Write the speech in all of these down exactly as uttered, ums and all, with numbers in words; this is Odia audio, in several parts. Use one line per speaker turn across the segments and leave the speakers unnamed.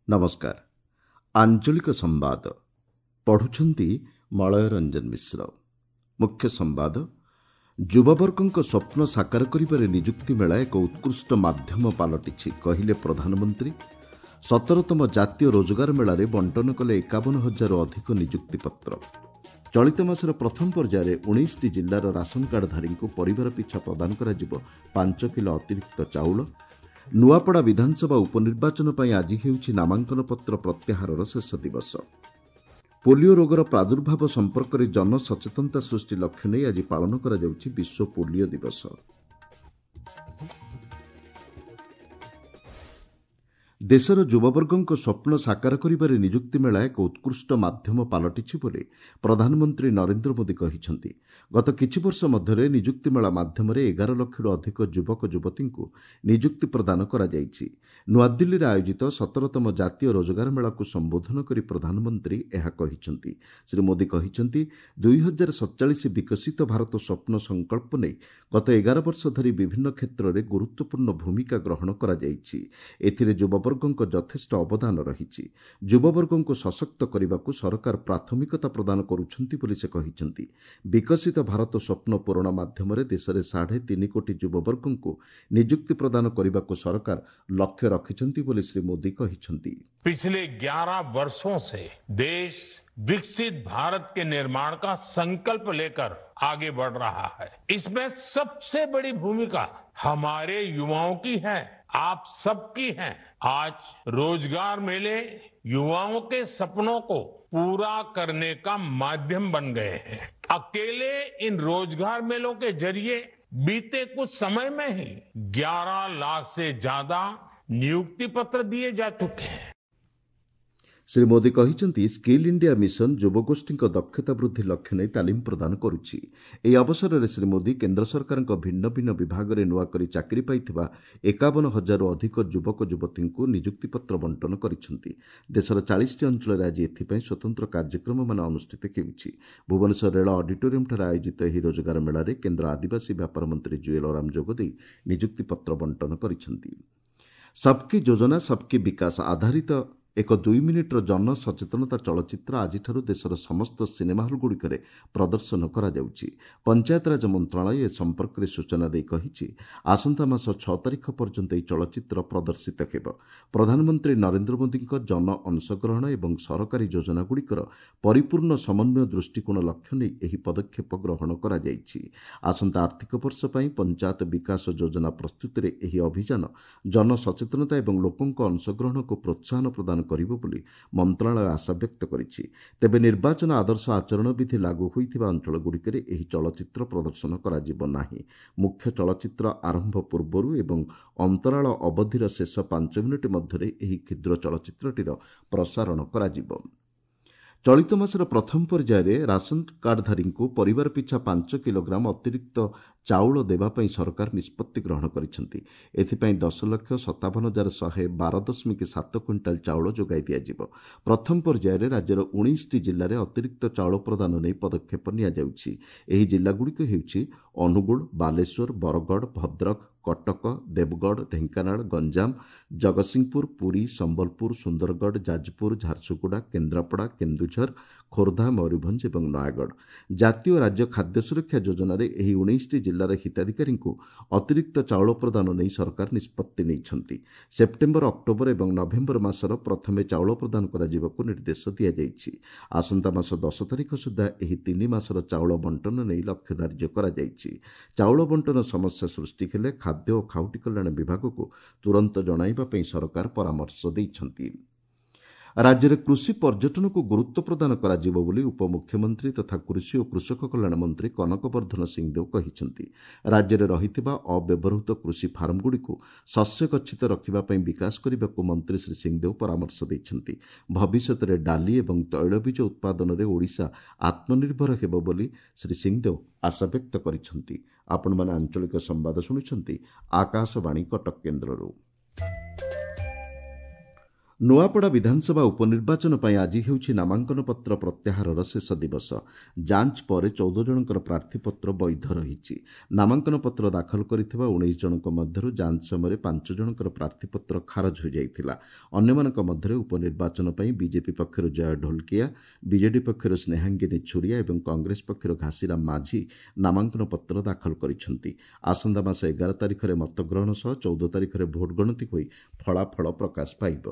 ନମସ୍କାର ଆଞ୍ଚଳିକ ସମ୍ବାଦ ପଢୁଛନ୍ତି ମଳୟ ରଞ୍ଜନ ମିଶ୍ର ମୁଖ୍ୟ ସମ୍ବାଦ ଯୁବବର୍ଗଙ୍କ ସ୍ୱପ୍ନ ସାକାର କରିବାରେ ନିଯୁକ୍ତି ମେଳା ଏକ ଉତ୍କୃଷ୍ଟ ମାଧ୍ୟମ ପାଲଟିଛି କହିଲେ ପ୍ରଧାନମନ୍ତ୍ରୀ ସତରତମ ଜାତୀୟ ରୋଜଗାର ମେଳାରେ ବଣ୍ଟନ କଲେ ଏକାବନ ହଜାରରୁ ଅଧିକ ନିଯୁକ୍ତି ପତ୍ର ଚଳିତ ମାସର ପ୍ରଥମ ପର୍ଯ୍ୟାୟରେ ଉଣେଇଶଟି ଜିଲ୍ଲାର ରାସନ କାର୍ଡଧାରୀଙ୍କୁ ପରିବାର ପିଛା ପ୍ରଦାନ କରାଯିବ ପାଞ୍ଚ କିଲୋ ଅତିରିକ୍ତ ଚାଉଳ ନୂଆପଡ଼ା ବିଧାନସଭା ଉପନିର୍ବାଚନ ପାଇଁ ଆଜି ହେଉଛି ନାମାଙ୍କନ ପତ୍ର ପ୍ରତ୍ୟାହାରର ଶେଷ ଦିବସ ପୋଲିଓ ରୋଗର ପ୍ରାଦୁର୍ଭାବ ସମ୍ପର୍କରେ ଜନସଚେତନତା ସୃଷ୍ଟି ଲକ୍ଷ୍ୟ ନେଇ ଆଜି ପାଳନ କରାଯାଉଛି ବିଶ୍ୱ ପୋଲିଓ ଦିବସ ଦେଶର ଯୁବବର୍ଗଙ୍କ ସ୍ୱପ୍ନ ସାକାର କରିବାରେ ନିଯୁକ୍ତି ମେଳା ଏକ ଉତ୍କୃଷ୍ଟ ମାଧ୍ୟମ ପାଲଟିଛି ବୋଲି ପ୍ରଧାନମନ୍ତ୍ରୀ ନରେନ୍ଦ୍ର ମୋଦି କହିଛନ୍ତି ଗତ କିଛି ବର୍ଷ ମଧ୍ୟରେ ନିଯୁକ୍ତି ମେଳା ମାଧ୍ୟମରେ ଏଗାର ଲକ୍ଷରୁ ଅଧିକ ଯୁବକ ଯୁବତୀଙ୍କୁ ନିଯୁକ୍ତି ପ୍ରଦାନ କରାଯାଇଛି ନୂଆଦିଲ୍ଲୀରେ ଆୟୋଜିତ ସତରତମ ଜାତୀୟ ରୋଜଗାର ମେଳାକୁ ସମ୍ବୋଧନ କରି ପ୍ରଧାନମନ୍ତ୍ରୀ ଏହା କହିଛନ୍ତି ଶ୍ରୀ ମୋଦି କହିଛନ୍ତି ଦୁଇ ହଜାର ସତଚାଳିଶ ବିକଶିତ ଭାରତ ସ୍ୱପ୍ନ ସଂକଳ୍ପ ନେଇ ଗତ ଏଗାର ବର୍ଷ ଧରି ବିଭିନ୍ନ କ୍ଷେତ୍ରରେ ଗୁରୁତ୍ୱପୂର୍ଣ୍ଣ ଭୂମିକା ଗ୍ରହଣ କରାଯାଇଛି ଏଥିରେ ଯୁବବର୍ଗ ଯୁବବର୍ଗଙ୍କ ଯଥେଷ୍ଟ ଅବଦାନ ରହିଛି ଯୁବବର୍ଗଙ୍କୁ ସଶକ୍ତ କରିବାକୁ ସରକାର ପ୍ରାଥମିକତା ପ୍ରଦାନ କରୁଛନ୍ତି ବୋଲି ସେ କହିଛନ୍ତି ବିକଶିତ ଭାରତ ସ୍ୱପ୍ନ ପୂରଣ ମାଧ୍ୟମରେ ଦେଶରେ ସାଢ଼େ ତିନି କୋଟି ଯୁବବର୍ଗଙ୍କୁ ନିଯୁକ୍ତି ପ୍ରଦାନ କରିବାକୁ ସରକାର ଲକ୍ଷ୍ୟ ରଖିଛନ୍ତି ବୋଲି ଶ୍ରୀ ମୋଦି କହିଛନ୍ତି
पिछले ग्यारह वर्षों से देश विकसित भारत के निर्माण का संकल्प लेकर आगे बढ़ रहा है इसमें सबसे बड़ी भूमिका हमारे युवाओं की है आप सबकी है आज रोजगार मेले युवाओं के सपनों को पूरा करने का माध्यम बन गए हैं अकेले इन रोजगार मेलों के जरिए बीते कुछ समय में ही ग्यारह लाख से ज्यादा नियुक्ति पत्र दिए जा चुके हैं
ଶ୍ରୀ ମୋଦି କହିଛନ୍ତି ସ୍କିଲ୍ ଇଣ୍ଡିଆ ମିଶନ ଯୁବଗୋଷ୍ଠୀଙ୍କ ଦକ୍ଷତା ବୃଦ୍ଧି ଲକ୍ଷ୍ୟ ନେଇ ତାଲିମ ପ୍ରଦାନ କରୁଛି ଏହି ଅବସରରେ ଶ୍ରୀ ମୋଦି କେନ୍ଦ୍ର ସରକାରଙ୍କ ଭିନ୍ନ ଭିନ୍ନ ବିଭାଗରେ ନୂଆକରି ଚାକିରି ପାଇଥିବା ଏକାବନ ହଜାରରୁ ଅଧିକ ଯୁବକ ଯୁବତୀଙ୍କୁ ନିଯୁକ୍ତିପତ୍ର ବଣ୍ଟନ କରିଛନ୍ତି ଦେଶର ଚାଳିଶଟି ଅଞ୍ଚଳରେ ଆଜି ଏଥିପାଇଁ ସ୍ୱତନ୍ତ୍ର କାର୍ଯ୍ୟକ୍ରମମାନ ଅନୁଷ୍ଠିତ ହେଉଛି ଭୁବନେଶ୍ୱର ରେଳ ଅଡିଟୋରିୟମ୍ଠାରେ ଆୟୋଜିତ ଏହି ରୋଜଗାର ମେଳାରେ କେନ୍ଦ୍ର ଆଦିବାସୀ ବ୍ୟାପାର ମନ୍ତ୍ରୀ ଜୁଏଲ ଓରାମ ଯୋଗଦେଇ ନିଯୁକ୍ତିପତ୍ର ବଣ୍ଟନ କରିଛନ୍ତି ସବକି ଯୋଜନା ସବକି ବିକାଶ ଆଧାରିତ ଏକ ଦୁଇ ମିନିଟ୍ର ଜନସଚେତନତା ଚଳଚ୍ଚିତ୍ର ଆଜିଠାରୁ ଦେଶର ସମସ୍ତ ସିନେମା ହଲ୍ଗୁଡ଼ିକରେ ପ୍ରଦର୍ଶନ କରାଯାଉଛି ପଞ୍ଚାୟତରାଜ ମନ୍ତ୍ରଣାଳୟ ଏ ସମ୍ପର୍କରେ ସୂଚନା ଦେଇ କହିଛି ଆସନ୍ତା ମାସ ଛଅ ତାରିଖ ପର୍ଯ୍ୟନ୍ତ ଏହି ଚଳଚ୍ଚିତ୍ର ପ୍ରଦର୍ଶିତ ହେବ ପ୍ରଧାନମନ୍ତ୍ରୀ ନରେନ୍ଦ୍ର ମୋଦିଙ୍କ ଜନ ଅଂଶଗ୍ରହଣ ଏବଂ ସରକାରୀ ଯୋଜନାଗୁଡ଼ିକର ପରିପୂର୍ଣ୍ଣ ସମନ୍ୱୟ ଦୃଷ୍ଟିକୋଣ ଲକ୍ଷ୍ୟ ନେଇ ଏହି ପଦକ୍ଷେପ ଗ୍ରହଣ କରାଯାଇଛି ଆସନ୍ତା ଆର୍ଥିକ ବର୍ଷ ପାଇଁ ପଞ୍ଚାୟତ ବିକାଶ ଯୋଜନା ପ୍ରସ୍ତୁତିରେ ଏହି ଅଭିଯାନ ଜନସଚେତନତା ଏବଂ ଲୋକଙ୍କ ଅଂଶଗ୍ରହଣକୁ ପ୍ରୋତ୍ସାହନ ପ୍ରଦାନ କରିବ ବୋଲି ମନ୍ତ୍ରଣାଳୟ ଆଶା ବ୍ୟକ୍ତ କରିଛି ତେବେ ନିର୍ବାଚନ ଆଦର୍ଶ ଆଚରଣ ବିଧି ଲାଗୁ ହୋଇଥିବା ଅଞ୍ଚଳଗୁଡ଼ିକରେ ଏହି ଚଳଚ୍ଚିତ୍ର ପ୍ରଦର୍ଶନ କରାଯିବ ନାହିଁ ମୁଖ୍ୟ ଚଳଚ୍ଚିତ୍ର ଆରମ୍ଭ ପୂର୍ବରୁ ଏବଂ ଅନ୍ତରାଳ ଅବଧିର ଶେଷ ପାଞ୍ଚ ମିନିଟ୍ ମଧ୍ୟରେ ଏହି କ୍ଷୁଦ୍ର ଚଳଚ୍ଚିତ୍ରଟିର ପ୍ରସାରଣ କରାଯିବ ଚଳିତ ମାସର ପ୍ରଥମ ପର୍ଯ୍ୟାୟରେ ରାସନ କାର୍ଡଧାରୀଙ୍କୁ ପରିବାର ପିଛା ପାଞ୍ଚ କିଲୋଗ୍ରାମ ଅତିରିକ୍ତ ଚାଉଳ ଦେବା ପାଇଁ ସରକାର ନିଷ୍ପତ୍ତି ଗ୍ରହଣ କରିଛନ୍ତି ଏଥିପାଇଁ ଦଶ ଲକ୍ଷ ସତାବନ ହଜାର ଶହେ ବାର ଦଶମିକ ସାତ କ୍ୱିଣ୍ଟାଲ ଚାଉଳ ଯୋଗାଇ ଦିଆଯିବ ପ୍ରଥମ ପର୍ଯ୍ୟାୟରେ ରାଜ୍ୟର ଉଣେଇଶଟି ଜିଲ୍ଲାରେ ଅତିରିକ୍ତ ଚାଉଳ ପ୍ରଦାନ ନେଇ ପଦକ୍ଷେପ ନିଆଯାଉଛି ଏହି ଜିଲ୍ଲାଗୁଡ଼ିକ ହେଉଛି ଅନୁଗୁଳ ବାଲେଶ୍ୱର ବରଗଡ଼ ଭଦ୍ରକ କଟକ ଦେବଗଡ଼ ଢେଙ୍କାନାଳ ଗଞ୍ଜାମ ଜଗତସିଂହପୁର ପୁରୀ ସମ୍ବଲପୁର ସୁନ୍ଦରଗଡ଼ ଯାଜପୁର ଝାରସୁଗୁଡ଼ା କେନ୍ଦ୍ରାପଡ଼ା କେନ୍ଦୁଝର ଖୋର୍ଦ୍ଧା ମୟୂରଭଞ୍ଜ ଏବଂ ନୟାଗଡ଼ ଜାତୀୟ ରାଜ୍ୟ ଖାଦ୍ୟ ସୁରକ୍ଷା ଯୋଜନାରେ ଏହି ଉଣେଇଶଟି ଜିଲ୍ଲାର ହିତାଧିକାରୀଙ୍କୁ ଅତିରିକ୍ତ ଚାଉଳ ପ୍ରଦାନ ନେଇ ସରକାର ନିଷ୍ପତ୍ତି ନେଇଛନ୍ତି ସେପ୍ଟେମ୍ବର ଅକ୍ଟୋବର ଏବଂ ନଭେମ୍ବର ମାସର ପ୍ରଥମେ ଚାଉଳ ପ୍ରଦାନ କରାଯିବାକୁ ନିର୍ଦ୍ଦେଶ ଦିଆଯାଇଛି ଆସନ୍ତା ମାସ ଦଶ ତାରିଖ ସୁଦ୍ଧା ଏହି ତିନି ମାସର ଚାଉଳ ବଣ୍ଟନ ନେଇ ଲକ୍ଷ୍ୟ ଧାର୍ଯ୍ୟ କରାଯାଇଛି ଚାଉଳ ବଣ୍ଟନ ସମସ୍ୟା ସୃଷ୍ଟି ହେଲେ ଖାଦ୍ୟ ଓ ଖାଉଟି କଲ୍ୟାଣ ବିଭାଗକୁ ତୁରନ୍ତ ଜଣାଇବା ପାଇଁ ସରକାର ପରାମର୍ଶ ଦେଇଛନ୍ତି ରାଜ୍ୟରେ କୃଷି ପର୍ଯ୍ୟଟନକୁ ଗୁରୁତ୍ୱ ପ୍ରଦାନ କରାଯିବ ବୋଲି ଉପମୁଖ୍ୟମନ୍ତ୍ରୀ ତଥା କୃଷି ଓ କୃଷକ କଲ୍ୟାଣ ମନ୍ତ୍ରୀ କନକ ବର୍ଦ୍ଧନ ସିଂଦେଓ କହିଛନ୍ତି ରାଜ୍ୟରେ ରହିଥିବା ଅବ୍ୟବହୃତ କୃଷି ଫାର୍ମଗୁଡ଼ିକୁ ଶସ୍ୟ ଗଚ୍ଛିତ ରଖିବା ପାଇଁ ବିକାଶ କରିବାକୁ ମନ୍ତ୍ରୀ ଶ୍ରୀ ସିଂଦେଓ ପରାମର୍ଶ ଦେଇଛନ୍ତି ଭବିଷ୍ୟତରେ ଡାଲି ଏବଂ ତୈଳବୀଜ ଉତ୍ପାଦନରେ ଓଡ଼ିଶା ଆତ୍ମନିର୍ଭର ହେବ ବୋଲି ଶ୍ରୀ ସିଂଦେଓ ଆଶାବ୍ୟକ୍ତ କରିଛନ୍ତି ଆପଣମାନେ ଆଞ୍ଚଳିକ ସମ୍ବାଦ ଶୁଣୁଛନ୍ତି ଆକାଶବାଣୀ କଟକ କେନ୍ଦ୍ରରୁ ନୂଆପଡ଼ା ବିଧାନସଭା ଉପନିର୍ବାଚନ ପାଇଁ ଆଜି ହେଉଛି ନାମାଙ୍କନପତ୍ର ପ୍ରତ୍ୟାହାରର ଶେଷ ଦିବସ। ଯାଞ୍ଚ ପରେ ଚଉଦ ଜଣଙ୍କର ପ୍ରାର୍ଥୀପତ୍ର ବୈଧ ରହିଛି। ନାମାଙ୍କନପତ୍ର ଦାଖଲ କରିଥିବା ଉଣେଇଶ ଜଣଙ୍କ ମଧ୍ୟରୁ ଯାଞ୍ଚ ସମୟରେ ପାଞ୍ଚ ଜଣଙ୍କର ପ୍ରାର୍ଥୀପତ୍ର ଖାରଜ ହୋଇଯାଇଥିଲା। ଅନ୍ୟମାନଙ୍କ ମଧ୍ୟରେ ଉପନିର୍ବାଚନ ପାଇଁ ବିଜେପି ପକ୍ଷରୁ ଜୟ ଢୋଲକିଆ, ବିଜେଡି ପକ୍ଷରୁ ସ୍ନେହାଙ୍ଗିନୀ ଛୁରିଆ ଏବଂ କଂଗ୍ରେସ ପକ୍ଷରୁ ଘାସିରାମ ମାଝୀ ନାମାଙ୍କନପତ୍ର ଦାଖଲ କରିଛନ୍ତି। ଆସନ୍ତା ମାସ ଏଗାର ତାରିଖରେ ମତଗ୍ରହଣ ସହ ଚଉଦ ତାରିଖରେ ଭୋଟ ଗଣତି ହୋଇ ଫଳାଫଳ ପ୍ରକାଶ ପାଇବ।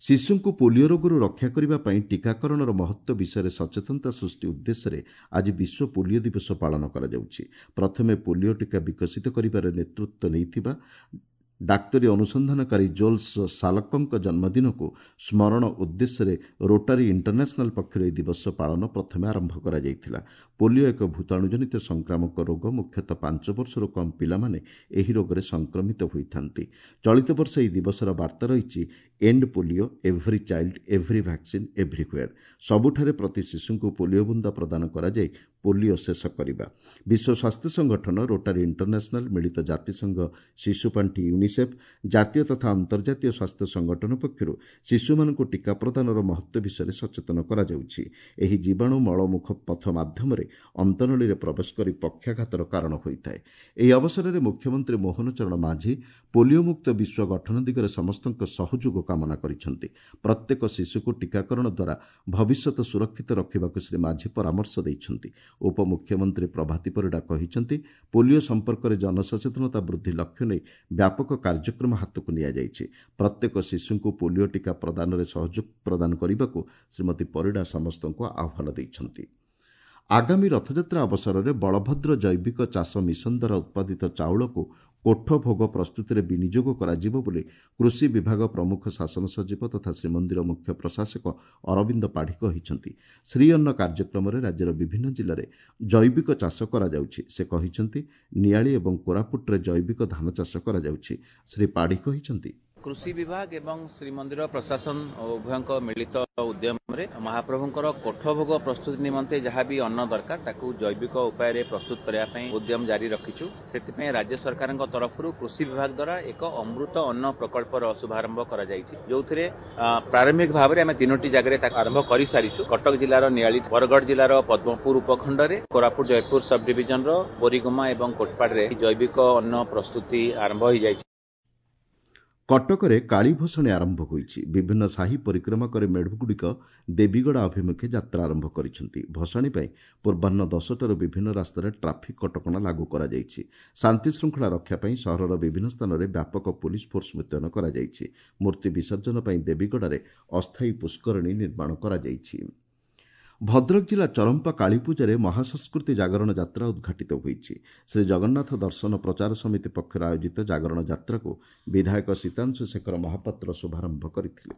ଶିଶୁଙ୍କୁ ପୋଲିଓ ରୋଗରୁ ରକ୍ଷା କରିବା ପାଇଁ ଟିକାକରଣର ମହତ୍ତ୍ୱ ବିଷୟରେ ସଚେତନତା ସୃଷ୍ଟି ଉଦ୍ଦେଶ୍ୟରେ ଆଜି ବିଶ୍ୱ ପୋଲିଓ ଦିବସ ପାଳନ କରାଯାଉଛି। ପ୍ରଥମେ ପୋଲିଓ ଟିକା ବିକଶିତ କରିବାରେ ନେତୃତ୍ୱ ନେଇଥିବା ଡାକ୍ତରୀ ଅନୁସନ୍ଧାନକାରୀ ଜୋଲ୍ସ ସାଲକଙ୍କ ଜନ୍ମଦିନକୁ ସ୍ମରଣ ଉଦ୍ଦେଶ୍ୟରେ ରୋଟାରୀ ଇଣ୍ଟରନ୍ୟାସନାଲ ପକ୍ଷରୁ ଏହି ଦିବସ ପାଳନ ପ୍ରଥମେ ଆରମ୍ଭ କରାଯାଇଥିଲା। ପୋଲିଓ ଏକ ଭୂତାଣୁଜନିତ ସଂକ୍ରାମକ ରୋଗ। ମୁଖ୍ୟତଃ ପାଞ୍ଚ ବର୍ଷରୁ କମ୍ ପିଲାମାନେ ଏହି ରୋଗରେ ସଂକ୍ରମିତ ହୋଇଥାନ୍ତି। ଚଳିତ ବର୍ଷ ଏହି ଦିବସର ବାର୍ତ୍ତା ରହିଛି end polio, every child, every vaccine, everywhere. ସବୁଠାରେ ପ୍ରତି ଶିଶୁଙ୍କୁ ପୋଲିଓ ବୁନ୍ଦା ପ୍ରଦାନ କରାଯାଇ ପୋଲିଓ ଶେଷ କରିବା। ବିଶ୍ୱ ସ୍ୱାସ୍ଥ୍ୟ ସଂଗଠନ, ରୋଟାରୀ ଇଣ୍ଟରନ୍ୟାସନାଲ, ମିଳିତ ଜାତିସଂଘ ଶିଶୁ ପାଣ୍ଠି ୟୁନିସେଫ୍, ଜାତୀୟ ତଥା ଅନ୍ତର୍ଜାତୀୟ ସ୍ୱାସ୍ଥ୍ୟ ସଂଗଠନ ପକ୍ଷରୁ ଶିଶୁମାନଙ୍କୁ ଟିକା ପ୍ରଦାନର ମହତ୍ତ୍ୱ ବିଷୟରେ ସଚେତନ କରାଯାଉଛି। ଏହି ଜୀବାଣୁ ମଳମୁଖ ପଥ ମାଧ୍ୟମରେ ଅନ୍ତନଳୀରେ ପ୍ରବେଶ କରି ପକ୍ଷାଘାତର କାରଣ ହୋଇଥାଏ। ଏହି ଅବସରରେ ମୁଖ୍ୟମନ୍ତ୍ରୀ ମୋହନ ଚରଣ ମାଝୀ ପୋଲିଓ ମୁକ୍ତ ବିଶ୍ୱ ଗଠନ ଦିଗରେ ସମସ୍ତଙ୍କ ସହଯୋଗ କାମନା କରିଛନ୍ତି। ପ୍ରତ୍ୟେକ ଶିଶୁକୁ ଟିକାକରଣ ଦ୍ୱାରା ଭବିଷ୍ୟତ ସୁରକ୍ଷିତ ରଖିବାକୁ ଶ୍ରୀ ମାଝୀ ପରାମର୍ଶ ଦେଇଛନ୍ତି। ଉପମୁଖ୍ୟମନ୍ତ୍ରୀ ପ୍ରଭାତୀ ପରିଡ଼ା କହିଛନ୍ତି, ପୋଲିଓ ସମ୍ପର୍କରେ ଜନସଚେତନତା ବୃଦ୍ଧି ଲକ୍ଷ୍ୟ ନେଇ ବ୍ୟାପକ କାର୍ଯ୍ୟକ୍ରମ ହାତକୁ ନିଆଯାଇଛି। ପ୍ରତ୍ୟେକ ଶିଶୁଙ୍କୁ ପୋଲିଓ ଟିକା ପ୍ରଦାନରେ ସହଯୋଗ ପ୍ରଦାନ କରିବାକୁ ଶ୍ରୀମତୀ ପରିଡ଼ା ସମସ୍ତଙ୍କୁ ଆହ୍ୱାନ ଦେଇଛନ୍ତି। ଆଗାମୀ ରଥଯାତ୍ରା ଅବସରରେ ବଳଭଦ୍ର ଜୈବିକ ଚାଷ ମିଶନ ଦ୍ୱାରା ଉତ୍ପାଦିତ ଚାଉଳକୁ କୋଠ ଭୋଗ ପ୍ରସ୍ତୁତିରେ ବିନିଯୋଗ କରାଯିବ ବୋଲି କୃଷି ବିଭାଗ ପ୍ରମୁଖ ଶାସନ ସଚିବ ତଥା ଶ୍ରୀମନ୍ଦିର ମୁଖ୍ୟ ପ୍ରଶାସକ ଅରବିନ୍ଦ ପାଢ଼ୀ କହିଛନ୍ତି। ଶ୍ରୀଅନ୍ନ କାର୍ଯ୍ୟକ୍ରମରେ ରାଜ୍ୟର ବିଭିନ୍ନ ଜିଲ୍ଲାରେ ଜୈବିକ ଚାଷ କରାଯାଉଛି। ସେ କହିଛନ୍ତି, ନିଆଳି ଏବଂ କୋରାପୁଟରେ ଜୈବିକ ଧାନ ଚାଷ କରାଯାଉଛି। ଶ୍ରୀ ପାଢ଼ୀ କହିଛନ୍ତି,
କୃଷି ବିଭାଗ ଏବଂ ଶ୍ରୀମନ୍ଦିର ପ୍ରଶାସନ ଉଭୟଙ୍କ ମିଳିତ ଉଦ୍ୟମରେ ମହାପ୍ରଭୁଙ୍କର କୋଠ ଭୋଗ ପ୍ରସ୍ତୁତି ନିମନ୍ତେ ଯାହା ବି ଅନ୍ନ ଦରକାର ତାକୁ ଜୈବିକ ଉପାୟରେ ପ୍ରସ୍ତୁତ କରିବା ପାଇଁ ଉଦ୍ୟମ ଜାରି ରଖିଛୁ। ସେଥିପାଇଁ ରାଜ୍ୟ ସରକାରଙ୍କ ତରଫରୁ କୃଷି ବିଭାଗ ଦ୍ୱାରା ଏକ ଅମୃତ ଅନ୍ନ ପ୍ରକଳ୍ପର ଶୁଭାରମ୍ଭ କରାଯାଇଛି, ଯେଉଁଥିରେ ପ୍ରାରମ୍ଭିକ ଭାବରେ ଆମେ ତିନୋଟି ଜାଗାରେ ତାକୁ ଆରମ୍ଭ କରିସାରିଛୁ। କଟକ ଜିଲ୍ଲାର ନିଆଳି, ବରଗଡ଼ ଜିଲ୍ଲାର ପଦ୍ମପୁର ଉପଖଣ୍ଡରେ, କୋରାପୁଟ ଜୟପୁର ସବ୍ ଡିଭିଜନର ବୋରିଗୁମା ଏବଂ କୋଟପାଡ଼ରେ ଜୈବିକ ଅନ୍ନ ପ୍ରସ୍ତୁତି ଆରମ୍ଭ ହୋଇଯାଇଛି।
କଟକରେ କାଳୀ ଭସାଣି ଆରମ୍ଭ ହୋଇଛି। ବିଭିନ୍ନ ସାହି ପରିକ୍ରମା କରି ମେଢ଼ଗୁଡ଼ିକ ଦେବୀଗଡ଼ା ଅଭିମୁଖେ ଯାତ୍ରା ଆରମ୍ଭ କରିଛନ୍ତି। ଭସାଣି ପାଇଁ ପୂର୍ବାହ୍ନ ଦଶଟାରୁ ବିଭିନ୍ନ ରାସ୍ତାରେ ଟ୍ରାଫିକ୍ କଟକଣା ଲାଗୁ କରାଯାଇଛି। ଶାନ୍ତିଶୃଙ୍ଖଳା ରକ୍ଷା ପାଇଁ ସହରର ବିଭିନ୍ନ ସ୍ଥାନରେ ବ୍ୟାପକ ପୋଲିସ ଫୋର୍ସ ମୁତୟନ କରାଯାଇଛି। ମୂର୍ତ୍ତି ବିସର୍ଜନ ପାଇଁ ଦେବୀଗଡ଼ାରେ ଅସ୍ଥାୟୀ ପୁଷ୍କରିଣୀ ନିର୍ମାଣ କରାଯାଇଛି। ଭଦ୍ରକ ଜିଲ୍ଲା ଚରମ୍ପା କାଳୀପୂଜାରେ ମହାସଂସ୍କୃତି ଜାଗରଣ ଯାତ୍ରା ଉଦ୍ଘାଟିତ ହୋଇଛି। ଶ୍ରୀ ଜଗନ୍ନାଥ ଦର୍ଶନ ପ୍ରଚାର ସମିତି ପକ୍ଷରୁ ଆୟୋଜିତ ଜାଗରଣ ଯାତ୍ରାକୁ ବିଧାୟକ ସୀତାଂଶୁ ଶେଖର ମହାପାତ୍ର ଶୁଭାରମ୍ଭ କରିଥିଲେ।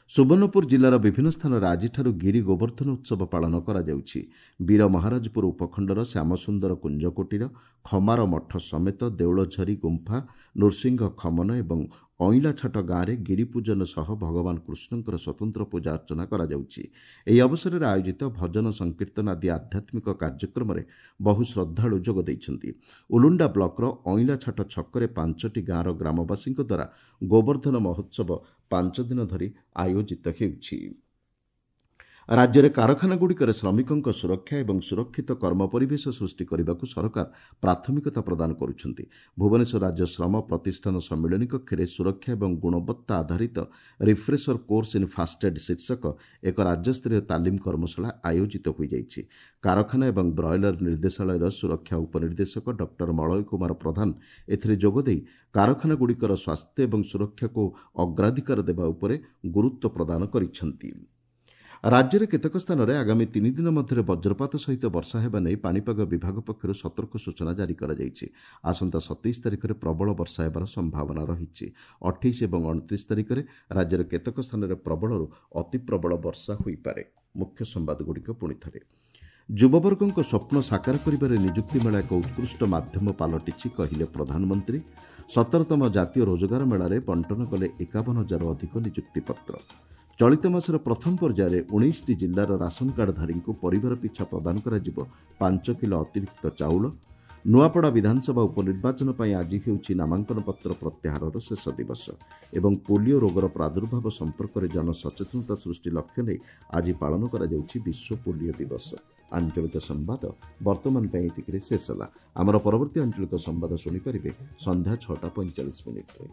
ସୁବର୍ଣ୍ଣପୁର ଜିଲ୍ଲାର ବିଭିନ୍ନ ସ୍ଥାନରେ ଆଜିଠାରୁ ଗିରି ଗୋବର୍ଦ୍ଧନ ଉତ୍ସବ ପାଳନ କରାଯାଉଛି। ବୀର ମହାରାଜପୁର ଉପଖଣ୍ଡର ଶ୍ୟାମସୁନ୍ଦର କୁଞ୍ଜକୋଟିର ଖମାର ମଠ ସମେତ ଦେଉଳଝରି ଗୁମ୍ଫା, ନୃସିଂହ ଖମନ ଏବଂ ଅଇଁଲାଛାଟ ଗାଁରେ ଗିରିପୂଜନ ସହ ଭଗବାନ କୃଷ୍ଣଙ୍କର ସ୍ୱତନ୍ତ୍ର ପୂଜା ଅର୍ଚ୍ଚନା କରାଯାଉଛି। ଏହି ଅବସରରେ ଆୟୋଜିତ ଭଜନ ସଂକୀର୍ତ୍ତନ ଆଦି ଆଧ୍ୟାତ୍ମିକ କାର୍ଯ୍ୟକ୍ରମରେ ବହୁ ଶ୍ରଦ୍ଧାଳୁ ଯୋଗ ଦେଇଛନ୍ତି। ଉଲୁଣ୍ଡା ବ୍ଲକର ଅଇଁଲାଛାଟ ଛକରେ ପାଞ୍ଚଟି ଗାଁର ଗ୍ରାମବାସୀଙ୍କ ଦ୍ୱାରା ଗୋବର୍ଦ୍ଧନ ମହୋତ୍ସବ ପାଞ୍ଚ ଦିନ ଧରି ଆୟୋଜିତ ହେଉଛି। ରାଜ୍ୟରେ କାରଖାନାଗୁଡ଼ିକରେ ଶ୍ରମିକଙ୍କ ସୁରକ୍ଷା ଏବଂ ସୁରକ୍ଷିତ କର୍ମ ପରିବେଶ ସୃଷ୍ଟି କରିବାକୁ ସରକାର ପ୍ରାଥମିକତା ପ୍ରଦାନ କରୁଛନ୍ତି। ଭୁବନେଶ୍ୱର ରାଜ୍ୟ ଶ୍ରମ ପ୍ରତିଷ୍ଠାନ ସମ୍ମିଳନୀ କକ୍ଷରେ ସୁରକ୍ଷା ଏବଂ ଗୁଣବତ୍ତା ଆଧାରିତ refresher course in first aid ଶୀର୍ଷକ ଏକ ରାଜ୍ୟସ୍ତରୀୟ ତାଲିମ କର୍ମଶାଳା ଆୟୋଜିତ ହୋଇଯାଇଛି। କାରଖାନା ଏବଂ ବ୍ରଏଲର ନିର୍ଦ୍ଦେଶାଳୟର ସୁରକ୍ଷା ଉପନିର୍ଦ୍ଦେଶକ ଡକ୍ଟର ମଳୟ କୁମାର ପ୍ରଧାନ ଏଥିରେ ଯୋଗଦେଇ କାରଖାନାଗୁଡ଼ିକର ସ୍ୱାସ୍ଥ୍ୟ ଏବଂ ସୁରକ୍ଷାକୁ ଅଗ୍ରାଧିକାର ଦେବା ଉପରେ ଗୁରୁତ୍ୱ ପ୍ରଦାନ କରିଛନ୍ତି। ରାଜ୍ୟରେ କେତେକ ସ୍ଥାନରେ ଆଗାମୀ ତିନି ଦିନ ମଧ୍ୟରେ ବଜ୍ରପାତ ସହିତ ବର୍ଷା ହେବା ନେଇ ପାଣିପାଗ ବିଭାଗ ପକ୍ଷରୁ ସତର୍କ ସୂଚନା ଜାରି କରାଯାଇଛି। ଆସନ୍ତା ସତେଇଶ ତାରିଖରେ ପ୍ରବଳ ବର୍ଷା ହେବାର ସମ୍ଭାବନା ରହିଛି। ଅଠେଇଶ ଏବଂ ଅଣତିରିଶ ତାରିଖରେ ରାଜ୍ୟର କେତେକ ସ୍ଥାନରେ ପ୍ରବଳରୁ ଅତିପ୍ରବଳ ବର୍ଷା ହୋଇପାରେ। ମୁଖ୍ୟ ସମ୍ବାଦଗୁଡ଼ିକ ପୁଣି ଥରେ। ଯୁବବର୍ଗଙ୍କ ସ୍ୱପ୍ନ ସାକାର କରିବାରେ ନିଯୁକ୍ତି ମେଳା ଏକ ଉତ୍କୃଷ୍ଟ ମାଧ୍ୟମ ପାଲଟିଛି, କହିଲେ ପ୍ରଧାନମନ୍ତ୍ରୀ। ସତରତମ ଜାତୀୟ ରୋଜଗାର ମେଳାରେ ବଣ୍ଟନ କଲେ ଏକାବନ ହଜାରରୁ ଅଧିକ ନିଯୁକ୍ତିପତ୍ର। ଚଳିତ ମାସର ପ୍ରଥମ ପର୍ଯ୍ୟାୟରେ ଉଣେଇଶଟି ଜିଲ୍ଲାର ରାସନ କାର୍ଡଧାରୀଙ୍କୁ ପରିବାର ପିଛା ପ୍ରଦାନ କରାଯିବ ପାଞ୍ଚ କିଲୋ ଅତିରିକ୍ତ ଚାଉଳ। ନୂଆପଡ଼ା ବିଧାନସଭା ଉପନିର୍ବାଚନ ପାଇଁ ଆଜି ହେଉଛି ନାମାଙ୍କନପତ୍ର ପ୍ରତ୍ୟାହାରର ଶେଷ ଦିବସ ଏବଂ ପୋଲିଓ ରୋଗର ପ୍ରାଦୁର୍ଭାବ ସମ୍ପର୍କରେ ଜନସଚେତନତା ସୃଷ୍ଟି ଲକ୍ଷ୍ୟ ନେଇ ଆଜି ପାଳନ କରାଯାଉଛି ବିଶ୍ୱ ପୋଲିଓ ଦିବସ। ଆଞ୍ଚଳିକ ସମ୍ବାଦ ବର୍ତ୍ତମାନ ପାଇଁ ଏତିକିରେ ଶେଷ ହେଲା। ଆମର ପରବର୍ତ୍ତୀ ଆଞ୍ଚଳିକ ସମ୍ବାଦ ଶୁଣିପାରିବେ ସନ୍ଧ୍ୟା ଛଅଟା ପଇଁଚାଳିଶ ମିନିଟ୍ରେ।